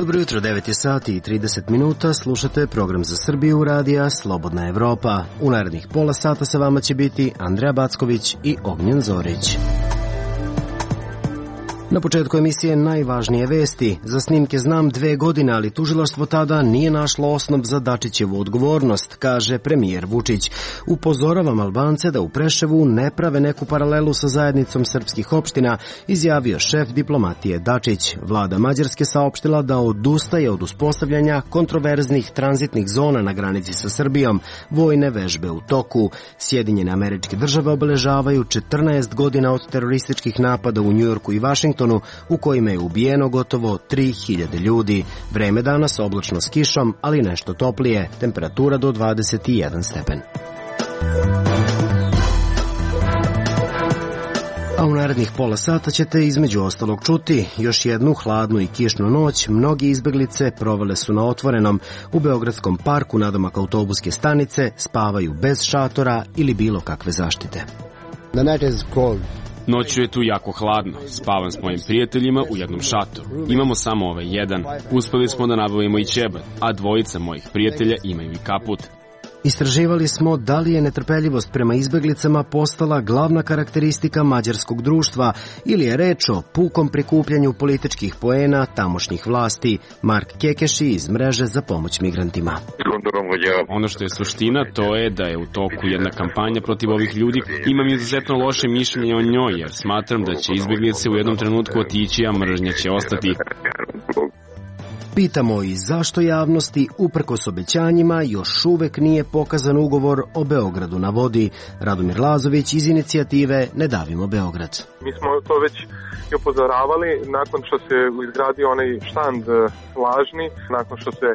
Dobro jutro, 9 je sati i 30 minuta, slušate program za Srbiju radija Slobodna Evropa. U narednih pola sata sa vama će biti Andreja Backović i Ognjen Zorić. Na početku emisije najvažnije vesti. Za snimke znam 2 godine, ali tužilaštvo tada nije našlo osnov za Dačićevu odgovornost, kaže premijer Vučić. Upozoravam Albance da u Preševu ne prave neku paralelu sa zajednicom srpskih opština, izjavio šef diplomatije Dačić. Vlada Mađarske saopštila da odustaje od uspostavljanja kontroverznih tranzitnih zona na granici sa Srbijom. Vojne vežbe u toku. Sjedinjene Američke Države obeležavaju 14 godina od terorističkih napada u Njujorku i Vašingtonu, u kojima je ubijeno gotovo 3000 ljudi. Vreme danas oblačno s kišom, ali nešto toplije. Temperatura do 21 stepen. A u narednih pola sata ćete između ostalog čuti još jednu hladnu i kišnu noć. Mnogi izbeglice provele su na otvorenom. U Beogradskom parku nadomak autobuske stanice spavaju bez šatora ili bilo kakve zaštite. The night is cold. Noću je tu jako hladno. Spavam s mojim prijateljima u jednom šatoru. Imamo samo ovaj jedan. Uspeli smo da nabavimo i ćebat, a 2 mojih prijatelja imaju i kaput. Istraživali smo da li je netrpeljivost prema izbeglicama postala glavna karakteristika mađarskog društva ili je reč o pukom prikupljanju političkih poena tamošnjih vlasti. Mark Kekeši iz mreže za pomoć migrantima. Ono što je suština, to je da je u toku jedna kampanja protiv ovih ljudi. Imam izuzetno loše mišljenje o njoj, jer smatram da će izbeglice u jednom trenutku otići, a mržnja će ostati. Pitamo i zašto javnosti, uprkos obećanjima, još uvek nije pokazan ugovor o Beogradu na vodi. Radomir Lazović iz inicijative Ne davimo Beograd. Mi smo to već i upozoravali nakon što se izgradio onaj štand lažni, nakon što se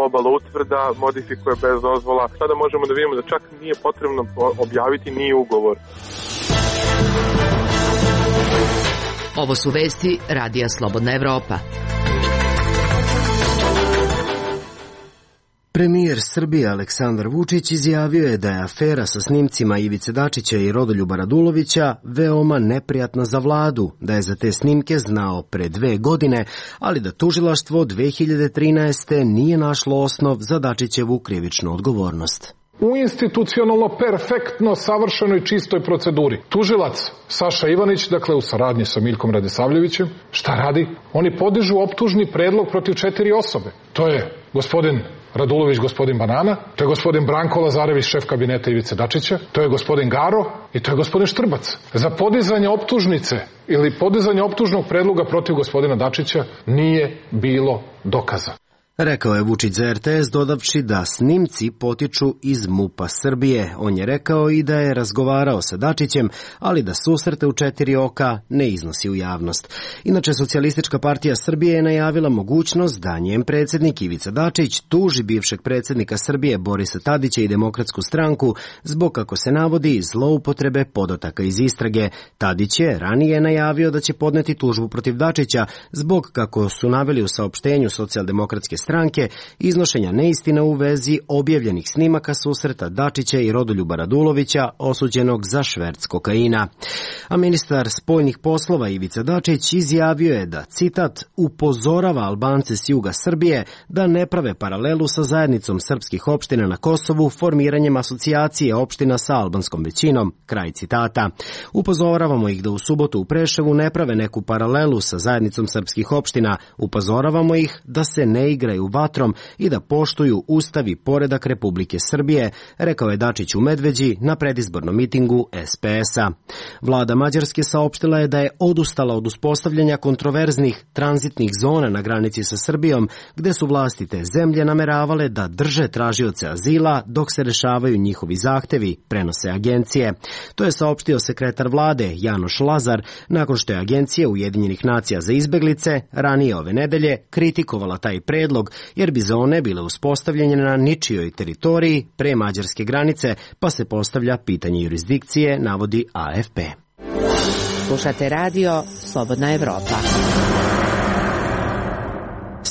obala utvrda modifikuje bez dozvola. Sada možemo da vidimo da čak nije potrebno objaviti ni ugovor. Ovo su vesti radija Slobodna Evropa. Premijer Srbije Aleksandar Vučić izjavio je da je afera sa snimcima Ivice Dačića i Rodoljuba Radulovića veoma neprijatna za vladu, da je za te snimke znao pre 2 godine, ali da tužilaštvo 2013. nije našlo osnov za Dačićevu krivičnu odgovornost. U institucionalno perfektno savršenoj čistoj proceduri. Tužilac Saša Ivanić, dakle u saradnji sa Miljkom Radisavljevićem, šta radi? Oni podižu optužni predlog protiv 4 osobe. To je gospodin Radulović, gospodin Banana, to je gospodin Branko Lazarević, šef kabineta Ivice Dačića, to je gospodin Garo i to je gospodin Štrbac. Za podizanje optužnice ili podizanje optužnog predloga protiv gospodina Dačića nije bilo dokaza. Rekao je Vučić za RTS, dodavši da snimci potiču iz MUP-a Srbije. On je rekao i da je razgovarao sa Dačićem, ali da susrete u 4 oka ne iznosi u javnost. Inače, Socijalistička partija Srbije je najavila mogućnost da njen predsjednik Ivica Dačić tuži bivšeg predsjednika Srbije Borisa Tadića i Demokratsku stranku zbog, kako se navodi, zloupotrebe podataka iz istrage. Tadić je ranije najavio da će podneti tužbu protiv Dačića zbog, kako su naveli u saopštenju Socijaldemokratske stranke, iznošenja neistina u vezi objavljenih snimaka susreta Dačića i Rodoljuba Radulovića, osuđenog za šverc kokaina. A ministar spoljnih poslova Ivica Dačić izjavio je da, citat, upozorava Albance s juga Srbije da ne prave paralelu sa zajednicom srpskih opština na Kosovu formiranjem asocijacije opština sa albanskom većinom, kraj citata. Upozoravamo ih da u subotu u Preševu ne prave neku paralelu sa zajednicom srpskih opština, upozoravamo ih da se ne igraju vatrom i da poštuju Ustav i poredak Republike Srbije, rekao je Dačić u Medveđi na predizbornom mitingu SPS-a. Vlada Mađarske saopštila je da je odustala od uspostavljanja kontroverznih tranzitnih zona na granici sa Srbijom, gde su vlasti te zemlje nameravale da drže tražioce azila dok se rešavaju njihovi zahtevi, prenose agencije. To je saopštio sekretar vlade Janoš Lazar nakon što je Agencija Ujedinjenih nacija za izbeglice ranije ove nedelje kritikovala taj predlog, jer bi zone bile uspostavljene na ničijoj teritoriji pre mađarske granice, pa se postavlja pitanje jurisdikcije, navodi AFP. Slušate radio Slobodna Evropa.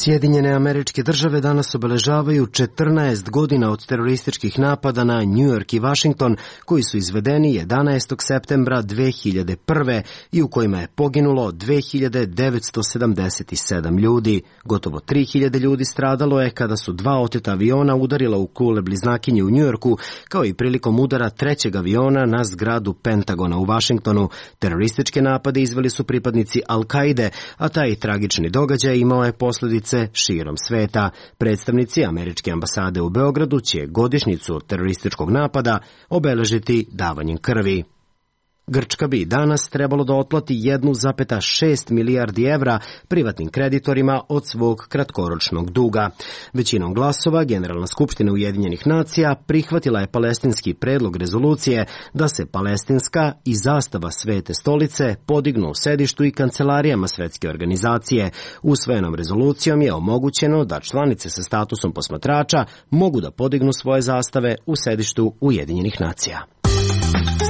Sjedinjene Američke Države danas obeležavaju 14 godina od terorističkih napada na New York i Washington, koji su izvedeni 11. septembra 2001. i u kojima je poginulo 2977 ljudi. Gotovo 3000 ljudi stradalo je kada su 2 oteta aviona udarila u kule bliznakinje u New Yorku, kao i prilikom udara 3. aviona na zgradu Pentagona u Washingtonu. Terorističke napade izveli su pripadnici Al-Kaide, a taj tragični događaj imao je posljedice širom sveta. Predstavnici Američke ambasade u Beogradu će godišnjicu terorističkog napada obeležiti davanjem krvi. Grčka bi danas trebalo da otplati 1,6 milijardi evra privatnim kreditorima od svog kratkoročnog duga. Većinom glasova Generalna skupština Ujedinjenih nacija prihvatila je palestinski predlog rezolucije da se palestinska i zastava Svete stolice podignu u sedištu i kancelarijama Svetske organizacije. Usvojenom rezolucijom je omogućeno da članice sa statusom posmatrača mogu da podignu svoje zastave u sedištu Ujedinjenih nacija.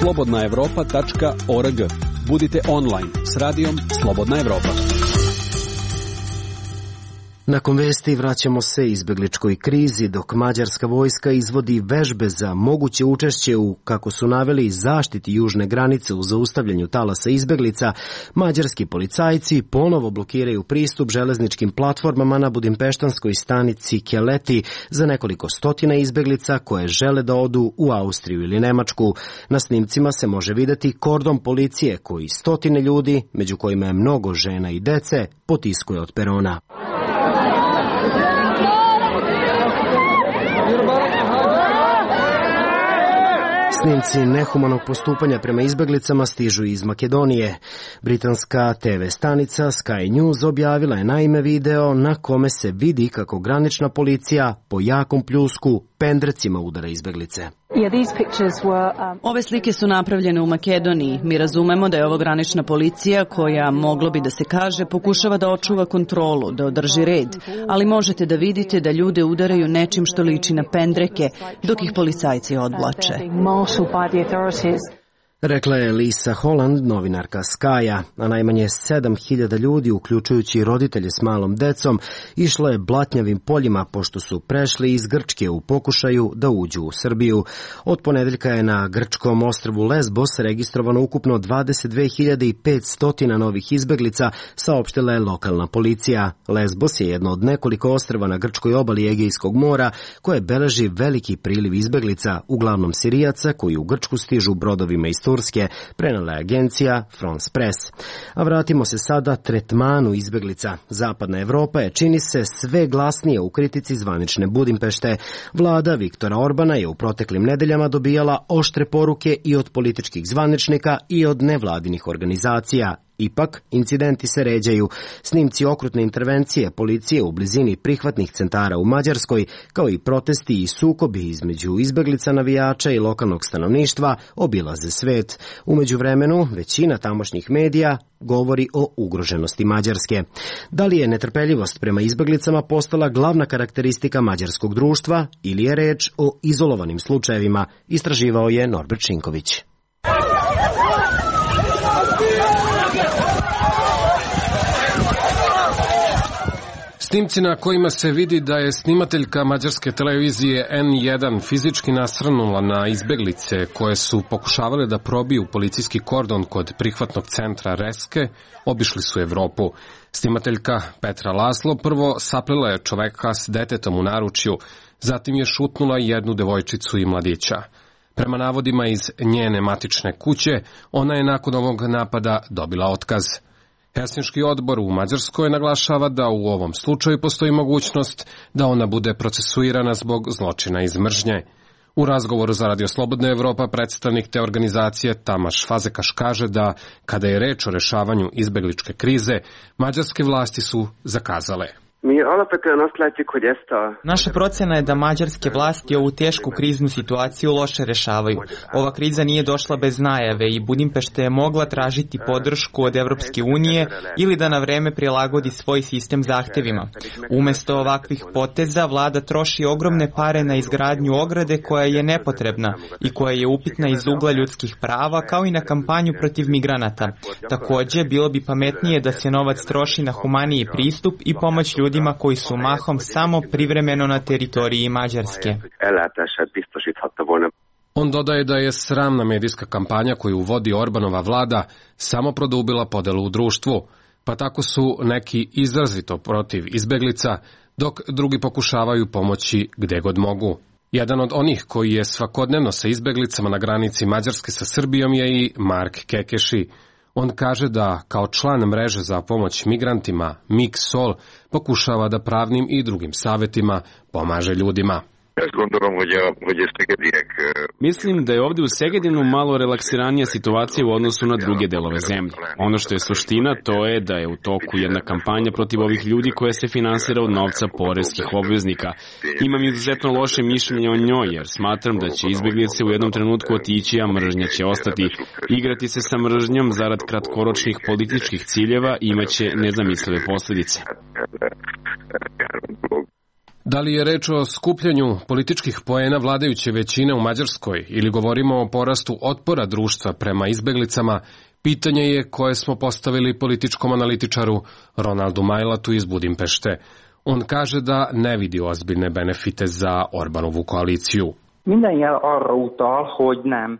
slobodnaevropa.org. Budite online s radijom Slobodna Evropa. Nakon vesti vraćamo se izbegličkoj krizi, dok mađarska vojska izvodi vežbe za moguće učešće u, kako su naveli, zaštiti južne granice u zaustavljanju talasa izbeglica. Mađarski policajci ponovo blokiraju pristup železničkim platformama na budimpeštanskoj stanici Keleti za nekoliko stotina izbeglica koje žele da odu u Austriju ili Nemačku. Na snimcima se može videti kordon policije koji stotine ljudi, među kojima je mnogo žena i dece, potiskuje od perona. Snimci nehumanog postupanja prema izbeglicama stižu iz Makedonije. Britanska TV stanica Sky News objavila je naime video na kome se vidi kako granična policija po jakom pljusku pendrecima udara izbeglice. Ove slike su napravljene u Makedoniji. Mi razumemo da je ovo granična policija koja, moglo bi da se kaže, pokušava da očuva kontrolu, da održi red, ali možete da vidite da ljude udaraju nečim što liči na pendreke, dok ih policajci odvlače. Rekla je Lisa Holland, novinarka Sky-a, a najmanje 7000 ljudi, uključujući roditelje s malom decom, išlo je blatnjavim poljima pošto su prešli iz Grčke u pokušaju da uđu u Srbiju. Od ponedeljka je na grčkom ostrvu Lesbos registrovano ukupno 22.500 novih izbeglica, saopštila je lokalna policija. Lesbos je jedno od nekoliko ostrva na grčkoj obali Egejskog mora koje beleži veliki priliv izbeglica, uglavnom Sirijaca koji u Grčku stižu brodovima iz Turske, prenela je agencija France Press. A vratimo se sada tretmanu izbeglica. Zapadna Evropa je, čini se, sve glasnije u kritici zvanične Budimpešte. Vlada Viktora Orbana je u proteklim nedeljama dobijala oštre poruke i od političkih zvaničnika i od nevladinih organizacija. Ipak, incidenti se ređaju. Snimci okrutne intervencije policije u blizini prihvatnih centara u Mađarskoj, kao i protesti i sukobi između izbeglica, navijača i lokalnog stanovništva obilaze svet. U međuvremenu, većina tamošnjih medija govori o ugroženosti Mađarske. Da li je netrpeljivost prema izbeglicama postala glavna karakteristika mađarskog društva ili je reč o izolovanim slučajevima, istraživao je Norbert Šinković. Snimci na kojima se vidi da je snimateljka mađarske televizije N1 fizički nasrnula na izbeglice koje su pokušavale da probiju policijski kordon kod prihvatnog centra Reske, obišli su Evropu. Snimateljka Petra Laslo prvo saplela je čoveka s detetom u naručju, zatim je šutnula jednu devojčicu i mladića. Prema navodima iz njene matične kuće, ona je nakon ovog napada dobila otkaz. Helsinški odbor u Mađarskoj naglašava da u ovom slučaju postoji mogućnost da ona bude procesuirana zbog zločina iz mržnje. U razgovoru za Radio Slobodna Evropa predstavnik te organizacije Tamaš Fazekaš kaže da kada je reč o rešavanju izbegličke krize, mađarske vlasti su zakazale. Naša procena je da mađarske vlasti ovu tešku kriznu situaciju loše rešavaju. Ova kriza nije došla bez najave i Budimpešta je mogla tražiti podršku od Evropske unije ili da na vreme prilagodi svoj sistem zahtevima. Umesto ovakvih poteza, vlada troši ogromne pare na izgradnju ograde koja je nepotrebna i koja je upitna iz ugla ljudskih prava, kao i na kampanju protiv migranata. Takođe, bilo bi pametnije da se novac troši na humaniji pristup i pomoć ljudima ljudima koji su mahom samo privremeno na teritoriji Mađarske. On dodaje da je sramna medijska kampanja koju vodi Orbanova vlada samo produbila podelu u društvu, pa tako su neki izrazito protiv izbeglica, dok drugi pokušavaju pomoći gde god mogu. Jedan od onih koji je svakodnevno sa izbeglicama na granici Mađarske sa Srbijom je i Mark Kekeši. On kaže da kao član mreže za pomoć migrantima MIG-SOL pokušava da pravnim i drugim savetima pomaže ljudima. Mislim da je ovdje u Segedinu malo relaksiranija situacija u odnosu na druge delove zemlje. Ono što je suština, to je da je u toku jedna kampanja protiv ovih ljudi koja se finansira od novca poreskih obveznika. Imam izuzetno loše mišljenje o njoj, jer smatram da će izbeglice u jednom trenutku otići, a mržnja će ostati. Igrati se sa mržnjom zarad kratkoročnih političkih ciljeva imaće nezamislive posljedice. Da li je reč o skupljanju političkih poena vladajuće većine u Mađarskoj ili govorimo o porastu otpora društva prema izbeglicama, pitanje je koje smo postavili političkom analitičaru Ronaldu Majlatu iz Budimpešte. On kaže da ne vidi ozbiljne benefite za Orbanovu koaliciju.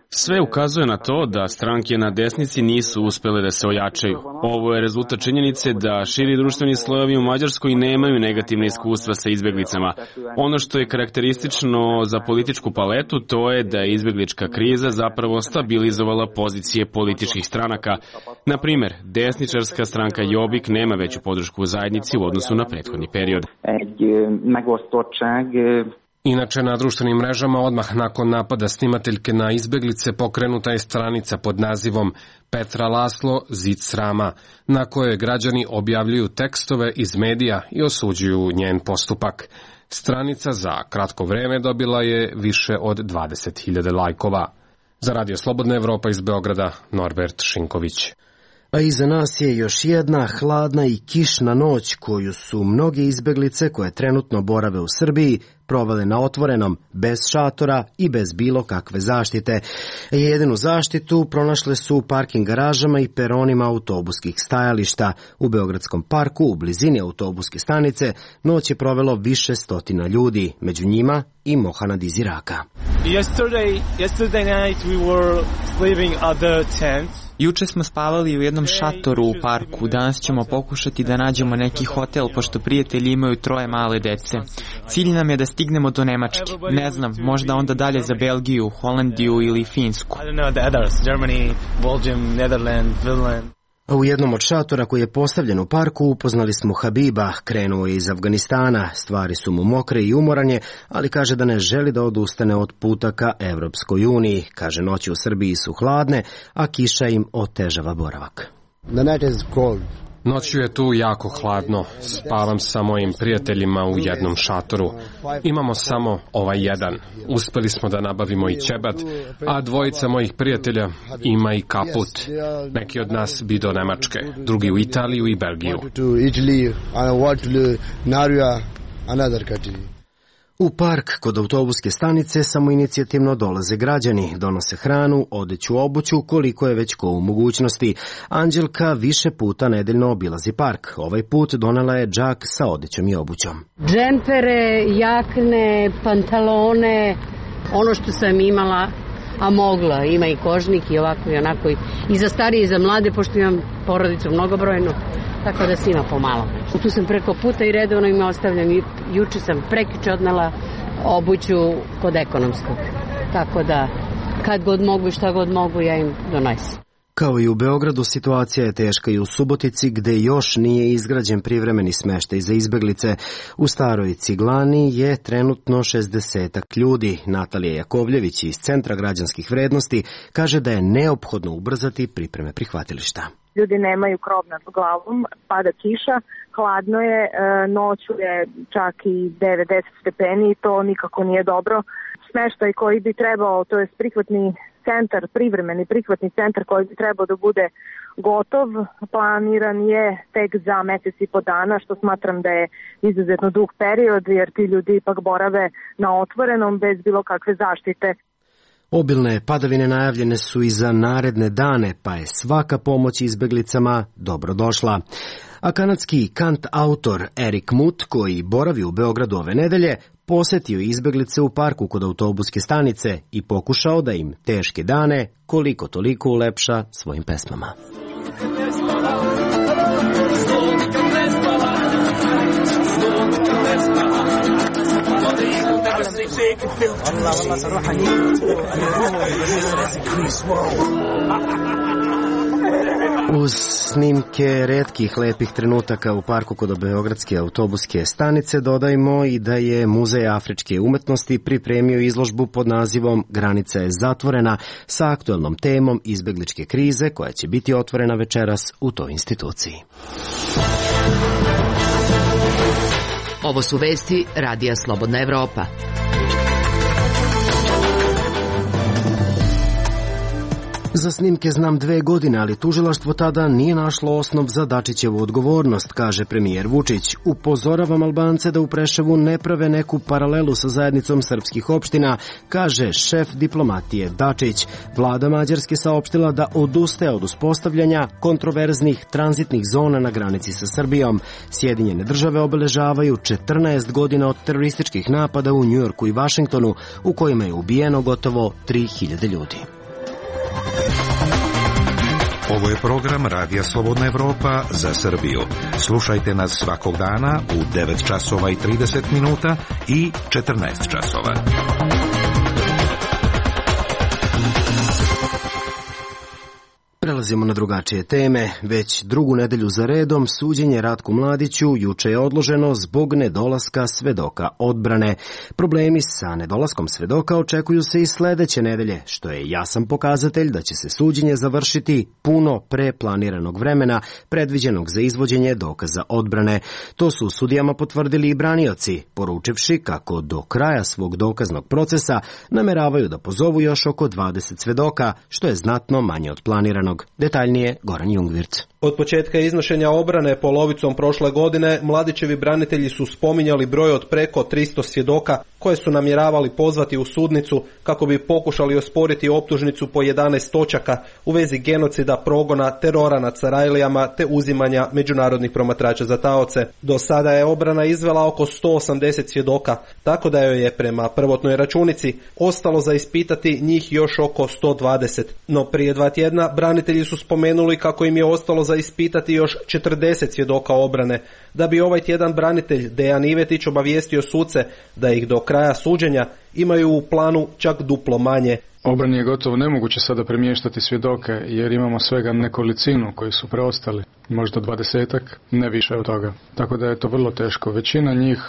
Sve ukazuje na to da stranke na desnici nisu uspele da se ojačaju. Ovo je rezultat činjenice da širi društveni slojevi u Mađarskoj nemaju negativne iskustva sa izbeglicama. Ono što je karakteristično za političku paletu, to je da je izbeglička kriza zapravo stabilizovala pozicije političkih stranaka. Na primer, desničarska stranka Jobbik nema veću podršku u zajednici u odnosu na prethodni period. Inače, na društvenim mrežama odmah nakon napada snimateljke na izbeglice pokrenuta je stranica pod nazivom Petra Laslo Zid srama, na kojoj građani objavljuju tekstove iz medija i osuđuju njen postupak. Stranica za kratko vreme dobila je više od 20.000 lajkova. Za Radio Slobodna Evropa iz Beograda, Norbert Šinković. A iza nas je još jedna hladna i kišna noć koju su mnoge izbeglice koje trenutno borave u Srbiji provale na otvorenom, bez šatora i bez bilo kakve zaštite. Jedinu zaštitu pronašle su u parking garažama i peronima autobuskih stajališta. U Beogradskom parku, u blizini autobuske stanice, noć je provelo više stotina ljudi, među njima i Mohanad iz Iraka. Yesterday night we were sleeping at the tent. Juče smo spavali u jednom šatoru u parku, danas ćemo pokušati da nađemo neki hotel, pošto prijatelji imaju 3 male dece. Cilj nam je da stignemo do Nemačke. Ne znam, možda onda dalje za Belgiju, Holandiju ili Finsku. Germany, Belgium, Netherlands, Finland. A u jednom od šatora koji je postavljen u parku upoznali smo Habiba, krenuo je iz Afganistana, stvari su mu mokre i umoranje, ali kaže da ne želi da odustane od puta ka Evropskoj uniji. Kaže, noći u Srbiji su hladne, a kiša im otežava boravak. The night is cold. Noću je tu jako hladno, spavam sa mojim prijateljima u jednom šatoru. Imamo samo ovaj jedan. Uspeli smo da nabavimo i ćebat, a 2 mojih prijatelja ima i kaput. Neki od nas bi do Nemačke, drugi u Italiju i Belgiju. U park kod autobuske stanice samoinicijativno dolaze građani, donose hranu, odeću, obuću, koliko je već ko u mogućnosti. Anđelka više puta nedeljno obilazi park. Ovaj put donela je džak sa odećom i obućom. Džempere, jakne, pantalone, ono što sam imala, a mogla. Ima i kožnik i ovako i onako. I za starije i za mlade, pošto imam porodicu mnogobrojnu. Tako da svima pomalo. Tu sam preko puta i redovno im ostavljam. Juče sam prekiče odnela obuću kod ekonomskog. Tako da kad god mogu i šta god mogu ja im donosim. Kao i u Beogradu, situacija je teška i u Subotici, gde još nije izgrađen privremeni smeštaj za izbeglice. U Staroj Ciglani je trenutno 60 ljudi. Natalija Jakovljević iz Centra građanskih vrednosti kaže da je neophodno ubrzati pripreme prihvatilišta. Ljudi nemaju krov nad glavom, pada kiša, hladno je, noću je čak i 9-10 stepeni i to nikako nije dobro. Smeštaj koji bi trebao, to je prihvatni centar, privremeni prihvatni centar koji bi trebao da bude gotov, planiran je tek za mesec i po dana, što smatram da je izuzetno dug period, jer ti ljudi ipak borave na otvorenom bez bilo kakve zaštite. Obilne padavine najavljene su i za naredne dane, pa je svaka pomoć izbeglicama dobrodošla. A kanadski kant-autor Erik Mut, koji boravi u Beogradu ove nedelje, posetio izbeglice u parku kod autobuske stanice i pokušao da im teške dane koliko toliko ulepša svojim pesmama. Uz snimke retkih lepih trenutaka u parku kod beogradske autobuske stanice dodajmo i da je Muzej afričke umetnosti pripremio izložbu pod nazivom Granica je zatvorena sa aktuelnom temom izbegličke krize koja će biti otvorena večeras u toj instituciji. Ovo su vesti Radija Slobodna Evropa. Za snimke znam 2 godine, ali tužilaštvo tada nije našlo osnov za Dačićevu odgovornost, kaže premijer Vučić. Upozoravam Albance da u Preševu ne prave neku paralelu sa zajednicom srpskih opština, kaže šef diplomatije Dačić. Vlada Mađarske saopštila da odustaje od uspostavljanja kontroverznih tranzitnih zona na granici sa Srbijom. Sjedinjene države obeležavaju 14 godina od terorističkih napada u Njujorku i Vašingtonu, u kojima je ubijeno gotovo 3000 ljudi. Ovo je program Radija Slobodna Evropa za Srbiju. Slušajte nas svakog dana u 9 časova i 30 minuta i 14 časova. Prelazimo na drugačije teme. Već drugu nedelju za redom suđenje Ratku Mladiću juče je odloženo zbog nedolaska svedoka odbrane. Problemi sa nedolaskom svedoka očekuju se i sledeće nedelje, što je jasan pokazatelj da će se suđenje završiti puno pre planiranog vremena predviđenog za izvođenje dokaza odbrane. To su sudijama potvrdili i branioci, poručivši kako do kraja svog dokaznog procesa nameravaju da pozovu još oko 20 svedoka, što je znatno manje od planiranog. Detaljnije Goran Jungwirth. Od početka iznošenja obrane polovicom prošle godine, Mladićevi branitelji su spominjali broj od preko 300 svjedoka koje su namjeravali pozvati u sudnicu kako bi pokušali osporiti optužnicu po 11 točaka u vezi genocida, progona, terora nad Sarajlijama te uzimanja međunarodnih promatrača za taoce. Do sada je obrana izvela oko 180 svjedoka, tako da joj je prema prvotnoj računici ostalo za ispitati njih još oko 120. No prije 2 tjedna branitelji su spomenuli kako im je ostalo za ispitati još 40 svjedoka obrane, da bi ovaj tjedan branitelj Dejan Ivetić obavijestio suce da ih do kraja suđenja imaju u planu čak duplo manje. Obrani je gotovo nemoguće sada premještati svjedoke jer imamo svega nekolicinu koji su preostali, možda 20-ak, ne više od toga. Tako da je to vrlo teško. Većina njih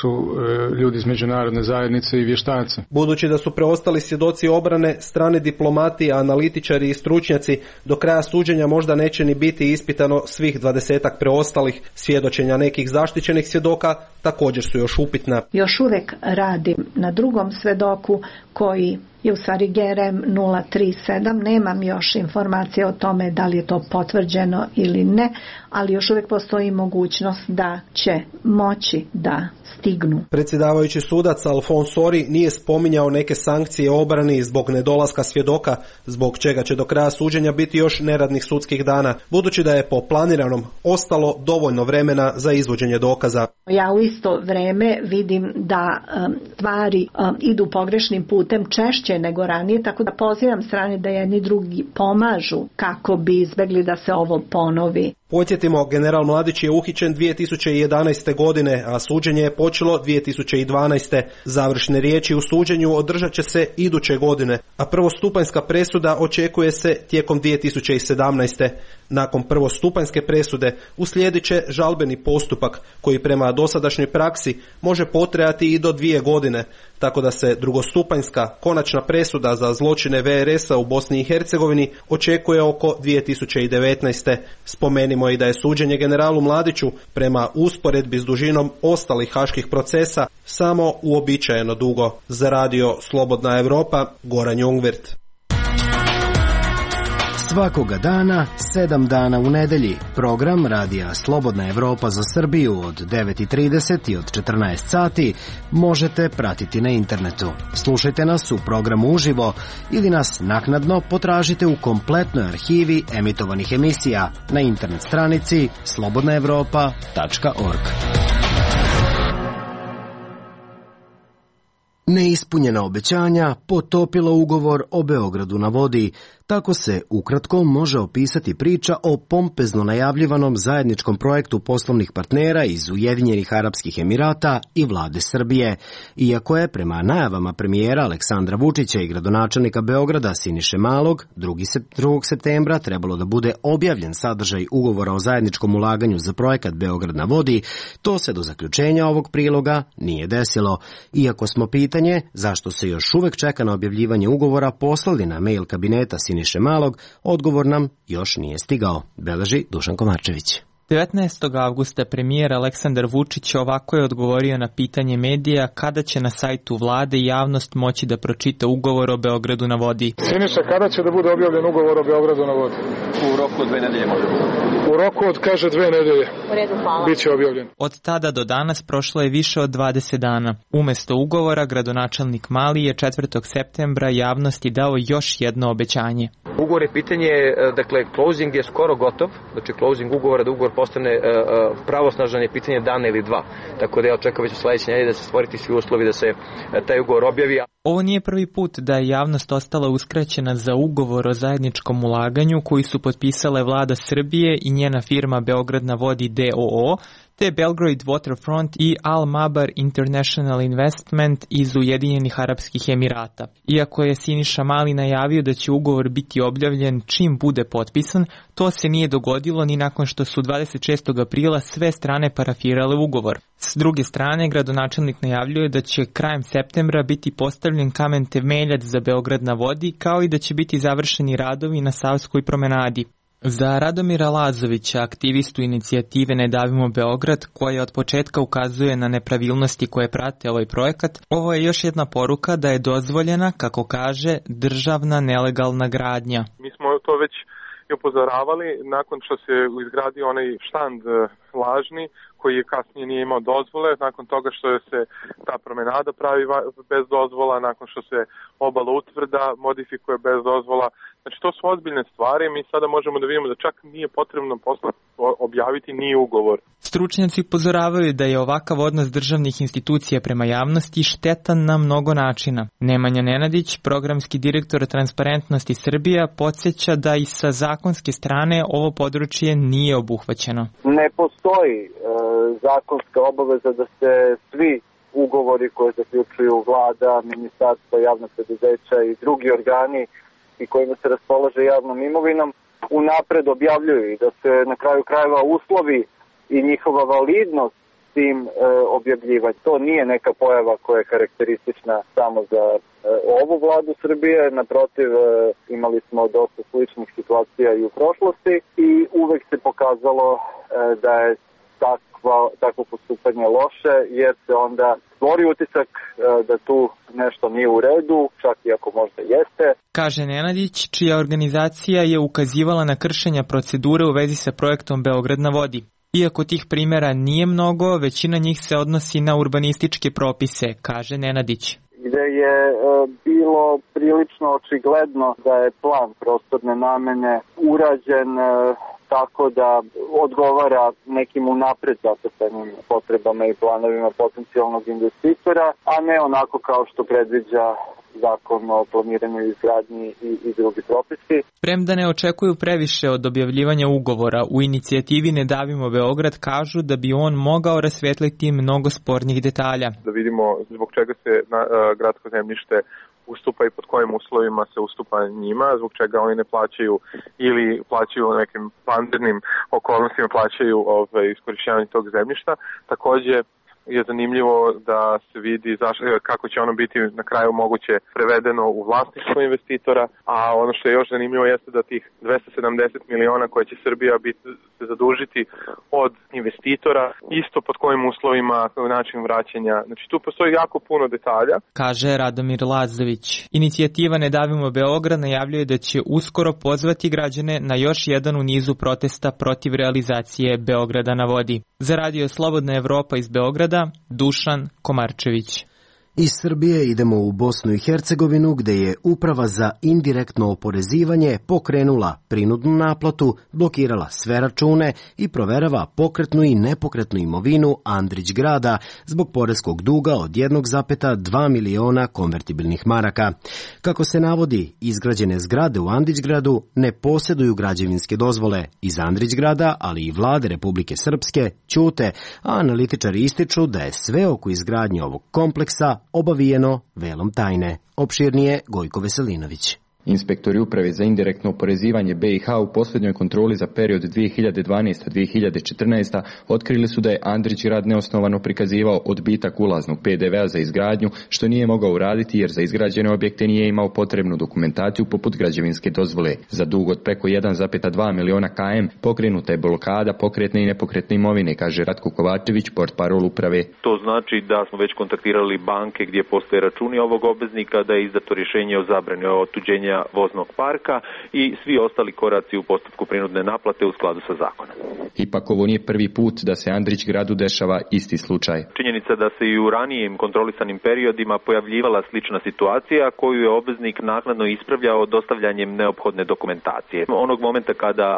su ljudi iz međunarodne zajednice i vještaci. Budući da su preostali svjedoci obrane, strani diplomati, analitičari i stručnjaci, do kraja suđenja možda neće ni biti ispitano svih 20-ak preostalih. Svjedočenja nekih zaštićenih svjedoka također su još upitna. Još uvijek radim na drugom svedoku koji je u stvari GRM 037, nemam još informacije o tome da li je to potvrđeno ili ne, ali još uvijek postoji mogućnost da će moći da stignu. Predsjedavajući sudac Alfons Sori nije spominjao neke sankcije obrani zbog nedolaska svjedoka, zbog čega će do kraja suđenja biti još neradnih sudskih dana, budući da je po planiranom ostalo dovoljno vremena za izvođenje dokaza. Ja u isto vrijeme vidim da stvari idu pogrešnim putem češće nego ranije, tako da pozivam strane da jedni drugi pomažu kako bi izbjegli da se ovo ponovi. Podsjetimo, general Mladić je uhićen 2011. godine, a suđenje je počelo 2012. Završne riječi u suđenju održat će se iduće godine, a prvostupanjska presuda očekuje se tijekom 2017. Nakon prvostupanjske presude uslijedit će žalbeni postupak koji prema dosadašnjoj praksi može potrajati i do 2 godine, tako da se drugostupanjska konačna presuda za zločine VRS-a u Bosni i Hercegovini očekuje oko 2019. Spomenimo i da je suđenje generalu Mladiću prema usporedbi s dužinom ostalih haških procesa samo uobičajeno dugo. Za Radio Slobodna Evropa, Goran Jungwirth. Svakoga dana, 7 dana u nedelji, program Radija Slobodna Evropa za Srbiju od 9:30 i od 14 sati možete pratiti na internetu. Slušajte nas u programu uživo ili nas naknadno potražite u kompletnoj arhivi emitovanih emisija na internet stranici slobodnaevropa.org. Neispunjena obećanja potopila ugovor o Beogradu na vodi. Tako se ukratko može opisati priča o pompezno najavljivanom zajedničkom projektu poslovnih partnera iz Ujedinjenih Arapskih Emirata i vlade Srbije. Iako je prema najavama premijera Aleksandra Vučića i gradonačelnika Beograda Siniše Malog 2. septembra trebalo da bude objavljen sadržaj ugovora o zajedničkom ulaganju za projekat Beograd na vodi, to se do zaključenja ovog priloga nije desilo. Iako smo pitanje zašto se još uvek čeka na objavljivanje ugovora poslali na mail kabineta Siniše Malog, odgovor nam još nije stigao, beleži Dušan Komarčević. 19. avgusta premijer Aleksandar Vučić ovako je odgovorio na pitanje medija kada će na sajtu vlade javnost moći da pročita ugovor o Beogradu na vodi. Siniša, kada će da bude objavljen ugovor o Beogradu na vodi? U roku od 2 nedelje može. U roku od, kaže, 2 nedelje. U redu, hvala. Biće objavljen. Od tada do danas prošlo je više od 20 dana. Umesto ugovora, gradonačelnik Mali je 4. septembra javnosti dao još jedno obećanje. Ugovor je pitanje, dakle, closing je skoro gotov, znači closing ugovora, da ugovor postane pravosnažan je pitanje dana ili dva. Tako da ja očekujem već u sledeće nedelje da se stvoriti svi uslovi da se taj ugovor objavi. Ovo nije prvi put da je javnost ostala uskraćena za ugovor o zajedničkom ulaganju koji su potpisale vlada Srbije i njena firma Beograd na vodi d.o.o., te Belgrade Waterfront i Al Mabar International Investment iz Ujedinjenih Arapskih Emirata. Iako je Siniša Mali najavio da će ugovor biti objavljen čim bude potpisan, to se nije dogodilo ni nakon što su 26. aprila sve strane parafirale ugovor. S druge strane, gradonačelnik najavljuje da će krajem septembra biti postavljen kamen temeljac za Beograd na vodi, kao i da će biti završeni radovi na Savskoj promenadi. Za Radomira Lazovića, aktivistu inicijative Ne davimo Beograd, koja od početka ukazuje na nepravilnosti koje prate ovaj projekat, ovo je još jedna poruka da je dozvoljena, kako kaže, državna nelegalna gradnja. Mi smo to već i upozoravali nakon što se izgradio onaj štand lažni koji je kasnije nije imao dozvole, nakon toga što se ta promenada pravi bez dozvola, nakon što se obala utvrda modifikuje bez dozvola. Znači to su ozbiljne stvari, mi sada možemo da vidimo da čak nije potrebno objaviti ni ugovor. Stručnjaci upozoravaju da je ovakav odnos državnih institucija prema javnosti štetan na mnogo načina. Nemanja Nenadić, programski direktor Transparentnosti Srbija, podsjeća da i sa zakonske strane ovo područje nije obuhvaćeno. Ne postoji zakonska obaveza da se svi ugovori koje zaključuju vlada, ministarstva, javna preduzeća i drugi organi i kojima se raspolaže javnom imovinom unapred objavljuju i da se na kraju krajeva uslovi i njihova validnost tim objavljivati. To nije neka pojava koja je karakteristična samo za ovu vladu Srbije, naprotiv imali smo dosta sličnih situacija i u prošlosti i uvek se pokazalo da je takvo postupanje loše, jer se onda stvori utisak da tu nešto nije u redu, čak i ako možda jeste. Kaže Nenadić, čija organizacija je ukazivala na kršenja procedure u vezi sa projektom Beograd na vodi. Iako tih primjera nije mnogo, većina njih se odnosi na urbanističke propise, kaže Nenadić. Gde je bilo prilično očigledno da je plan prostorne namene urađen tako da odgovara nekim unapred zacrtanim potrebama i planovima potencijalnog investitora, a ne onako kao što predviđa zakon o planiranju i izgradnji i drugi propisi. Premda ne očekuju previše od objavljivanja ugovora, u inicijativi Ne davimo Beograd kažu da bi on mogao rasvetliti mnogo spornih detalja. Da vidimo zbog čega se gradsko zemljište ustupa i pod kojim uslovima se ustupa njima, zbog čega oni ne plaćaju ili plaćaju nekim vanrednim okolnostima plaćaju iskorišćavanje tog zemljišta. Takođe je zanimljivo da se vidi kako će ono biti na kraju moguće prevedeno u vlasništvo investitora, a ono što je još zanimljivo jeste da tih 270 miliona koje će Srbija se zadužiti od investitora, isto pod kojim uslovima, način vraćanja. Znači tu postoji jako puno detalja. Kaže Radomir Lazović. Inicijativa Ne davimo Beograd najavljuje da će uskoro pozvati građane na još jedan u nizu protesta protiv realizacije Beograda na vodi. Za Radio Slobodna Evropa iz Beograda, Dušan Komarčević. Iz Srbije idemo u Bosnu i Hercegovinu, gde je Uprava za indirektno oporezivanje pokrenula prinudnu naplatu, blokirala sve račune i proverava pokretnu i nepokretnu imovinu Andrić grada zbog poreskog duga od 1,2 miliona konvertibilnih maraka. Kako se navodi, izgrađene zgrade u Andrićgradu ne posjeduju građevinske dozvole iz Andrićgrada, ali i vlade Republike Srpske ćute, a analitičari ističu da je sve oko izgradnje ovog kompleksa obavijeno velom tajne. Opširnije Gojko Veselinović. Inspektori Uprave za indirektno oporezivanje BiH u posljednjoj kontroli za period 2012-2014 otkrili su da je Andrić grad neosnovano prikazivao odbitak ulaznog PDV-a za izgradnju, što nije mogao uraditi jer za izgrađene objekte nije imao potrebnu dokumentaciju poput građevinske dozvole. Za dug od preko 1,2 miliona km pokrenuta je blokada pokretne i nepokretne imovine, kaže Ratko Kovačević, portparol uprave. To znači da smo već kontaktirali banke gdje postoje računi ovog obveznika, da je izdato rješenje o zabrani otuđenja voznog parka i svi ostali koraci u postupku prinudne naplate u skladu sa zakonom. Ipak ovo nije prvi put da se Andrić gradu dešava isti slučaj. Činjenica da se i u ranijim kontrolisanim periodima pojavljivala slična situacija koju je obveznik naknadno ispravljao dostavljanjem neophodne dokumentacije. Onog momenta kada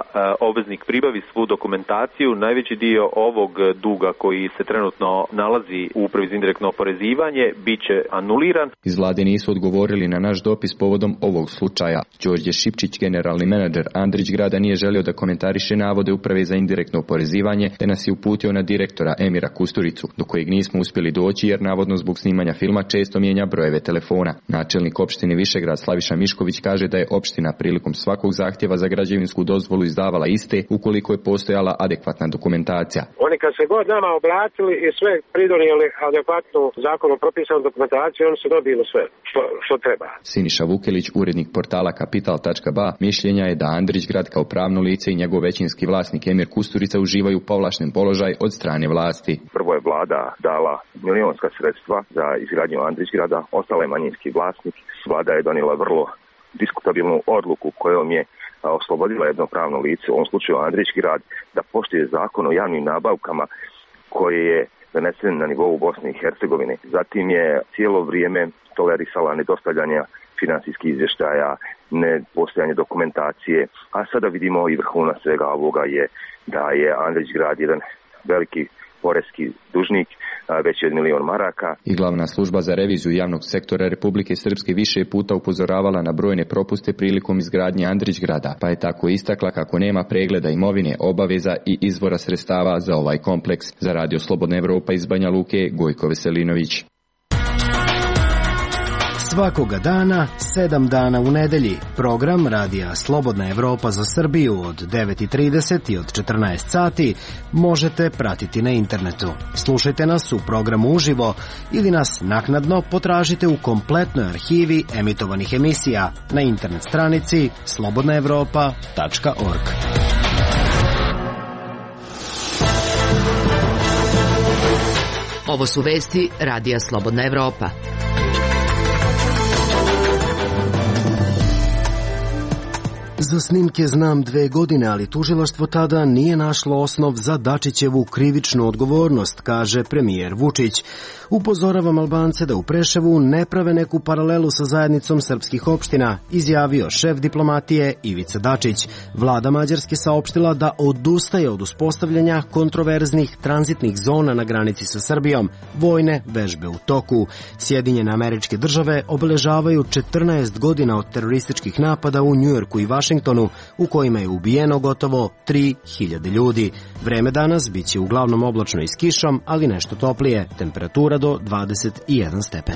obveznik pribavi svu dokumentaciju, najveći dio ovog duga koji se trenutno nalazi u Upravi za indirektno oporezivanje biće anuliran. Iz vlade nisu odgovorili na naš dopis povodom ovog slučaja. Đorđe Šipčić, generalni menadžer Andrić grada, nije želio da komentariše navode Uprave za indirektno oporezivanje, te nas je uputio na direktora Emira Kusturicu, do kojeg nismo uspjeli doći jer navodno zbog snimanja filma često mijenja brojeve telefona. Načelnik opštine Višegrad Slaviša Mišković kaže da je opština prilikom svakog zahtjeva za građevinsku dozvolu izdavala iste ukoliko je postojala adekvatna dokumentacija. Oni kad se god nama obratili i sve pridonijeli adekvatnu zakonom propisanu dokumentaciju, oni su dobili sve što treba. Siniša Vukelić, urednik portala Kapital.ba, mišljenja je da Andrić grad kao pravno lice i njegov većinski vlasnik Emir Kusturica uživaju povlašten položaj od strane vlasti. Prvo je vlada dala milionska sredstva za izgradnju Andrić grada, ostala je manjinski vlasnik. Vlada je donijela vrlo diskutabilnu odluku kojom je oslobodila jedno pravno lice, u ovom slučaju Andrić grad, da poštuje zakon o javnim nabavkama koji je donesen na nivou Bosne i Hercegovine. Zatim je cijelo vrijeme tolerisala nedostavljanje finansijskih izvještaja, nepostojanje dokumentacije, a sada vidimo i vrhunac svega ovoga je da je Andrić grad jedan veliki poreski dužnik, veći od 1 milion maraka. I glavna služba za reviziju javnog sektora Republike Srpske više puta upozoravala na brojne propuste prilikom izgradnje Andrić grada, pa je tako istakla kako nema pregleda imovine, obaveza i izvora sredstava za ovaj kompleks. Za Radio Slobodna Evropa iz Banja Luke, Gojko Veselinović. Svakoga dana, 7 dana u nedelji, program Radija Slobodna Evropa za Srbiju od 9:30 i od 14 sati možete pratiti na internetu. Slušajte nas u programu uživo ili nas naknadno potražite u kompletnoj arhivi emitovanih emisija na internet stranici slobodnaevropa.org. Ovo su vesti Radija Slobodna Evropa. Za snimke znam 2 godine, ali tužilaštvo tada nije našlo osnov za Dačićevu krivičnu odgovornost, kaže premijer Vučić. Upozoravam Albance da u Preševu ne prave neku paralelu sa zajednicom srpskih opština, izjavio šef diplomatije Ivica Dačić. Vlada Mađarske saopštila da odustaje od uspostavljanja kontroverznih tranzitnih zona na granici sa Srbijom. Vojne vežbe u toku. Sjedinjene Američke Države obeležavaju 14 godina od terorističkih napada u Njujorku i Vašingtonu, u kojima je ubijeno gotovo 3000 ljudi. Vreme danas biće uglavnom oblačno i s kišom, ali nešto toplije. Temperatura do 21 stepen.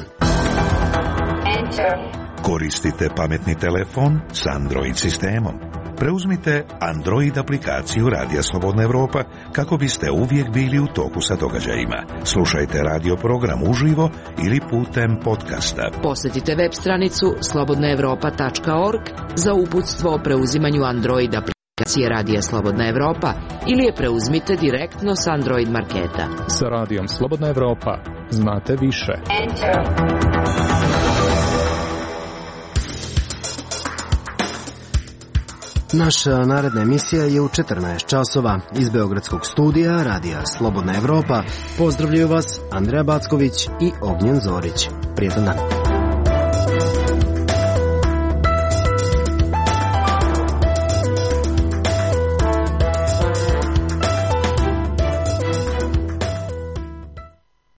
Koristite pametni telefon s Android sistemom. Preuzmite Android aplikaciju Radija Slobodna Evropa kako biste uvijek bili u toku sa događajima. Slušajte radio program uživo ili putem podcasta. Posjetite web stranicu slobodnaevropa.org za uputstvo o preuzimanju Android aplikacije Radija Slobodna Evropa ili je preuzmite direktno s Android marketa. Sa Radijom Slobodna Evropa znate više. Naša naredna emisija je u 14 časova. Iz Beogradskog studija Radija Slobodna Evropa pozdravljaju vas Andreja Backović i Ognjen Zorić. Prijetan dan.